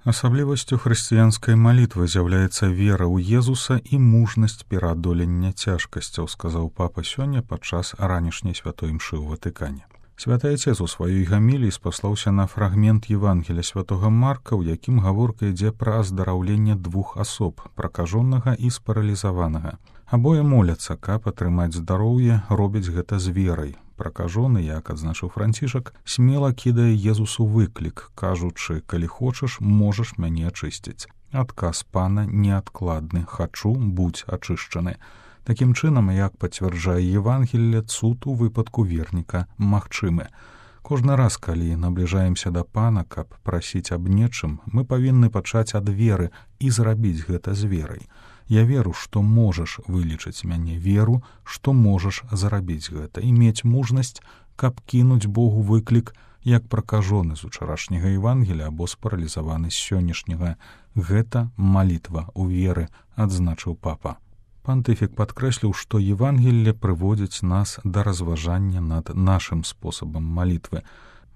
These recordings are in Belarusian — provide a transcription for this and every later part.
Асаблівасцю хрысціянскай малітвы з'яўляецца вера ў Езуса і мужнасць пераадолення цяжкасцяў, сказаў папа сёння падчас ранішняй святой імшы ў Ватыкане. Святы Отец у сваёй гаміліі спаслаўся на фрагмент Евангелія святога Марка, у якім гаворка ідзе пра аздараўленне двух асоб, пракажонага і спаралізаванага. Абое моляцца, каб атрымаць здароўе, робяць гэта з верай. Пракажоны, як адзначыў Францішак, смела кідае Езусу выклік, кажучы: «Калі хочаш, можаш мяне ачысціць». Адказ пана неадкладны: «Хачу, будзь ачышчаны». Такім чынам, як пацвярджае Евангелле, цуд у выпадку верніка магчымы. Кожны раз, калі набліжаемся да пана, каб прасіць аб нечым, мы павінны пачаць ад веры і зрабіць гэта з верай. Я веру, што можаш вылечыць мяне, веру, што можаш зрабіць гэта, і мець мужнасць, каб кінуць Богу выклік, як пракажоны з учарашняга Евангелія або спаралізаваны з сённяшняга. Гэта малітва ў веры, адзначыў папа. Пантыфік падкрэсліў, што Евангелле прыводзіць нас да разважання над нашым спосабам малітвы.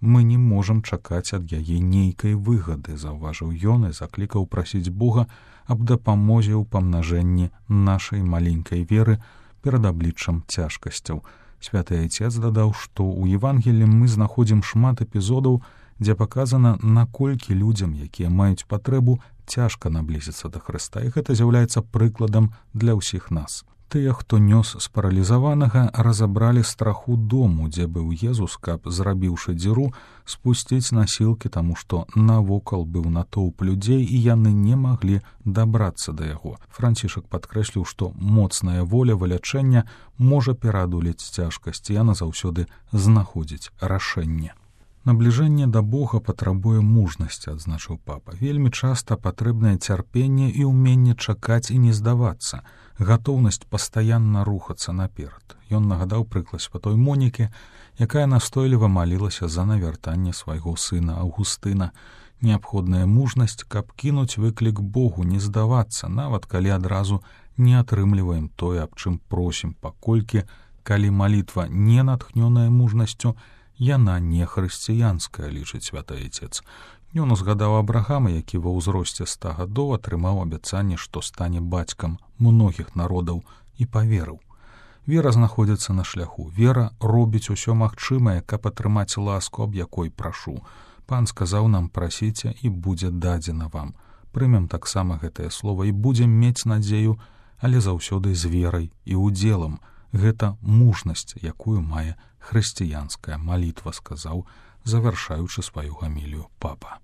Мы не можам чакаць ад яе нейкай выгады, заўважыў ён і заклікаў прасіць Бога аб дапамозе ў памнажэнні нашай маленькай веры перад абліччам цяжкасцяў. Святы Отец дадаў, што ў Евангеллі мы знаходзім шмат эпізодаў, дзе паказана, наколькі людзям, якія маюць патрэбу, цяжка наблізіцца да Хрыста, і гэта з'яўляецца прыкладам для ўсіх нас. Тыя, хто нёс спаралізаванага, разабралі страху дому, дзе быў Езус, каб, зрабіўшы дзіру, спусціць насілкі, таму што навокал быў натоўп людзей, і яны не маглі дабрацца да яго. Францішак падкрэсліў, што моцная воля вылячэння можа пераадолець цяжкасць, і яна заўсёды знаходзіць рашэнне. Набліжэнне да Бога патрабуе мужнасці, адзначыў папа. Вельмі часта патрэбнае цярпенне і ўменне чакаць і не здавацца, гатоўнасць пастаянна рухацца наперад. Ён нагадаў прыклад святой Монікі, якая настойліва малілася за навяртанне свайго сына Аўгустына. Неабходная мужнасць, каб кінуць выклік Богу, не здавацца, нават калі адразу не атрымліваем тое, аб чым просім, паколькі, калі малітва не натхнёная мужнасцю, яна не хрысціянская, лічыць святы Отец. Ён узгадаў Абрахама, які ва ўзросце 100 гадоў атрымаў абяцанне, што стане бацькам многіх народаў, і паверыў. Вера знаходзіцца на шляху. Вера робіць усё магчымае, каб атрымаць ласку, аб якой прашу. Пан сказаў нам: «Прасіце, і будзе дадзена вам». Прымем таксама гэтае слова і будзем мець надзею, але заўсёды з верай і удзелам. Гэта мужнасць, якую мае хрысціянская малітва, сказаў, завяршаючы сваю гамілію папа.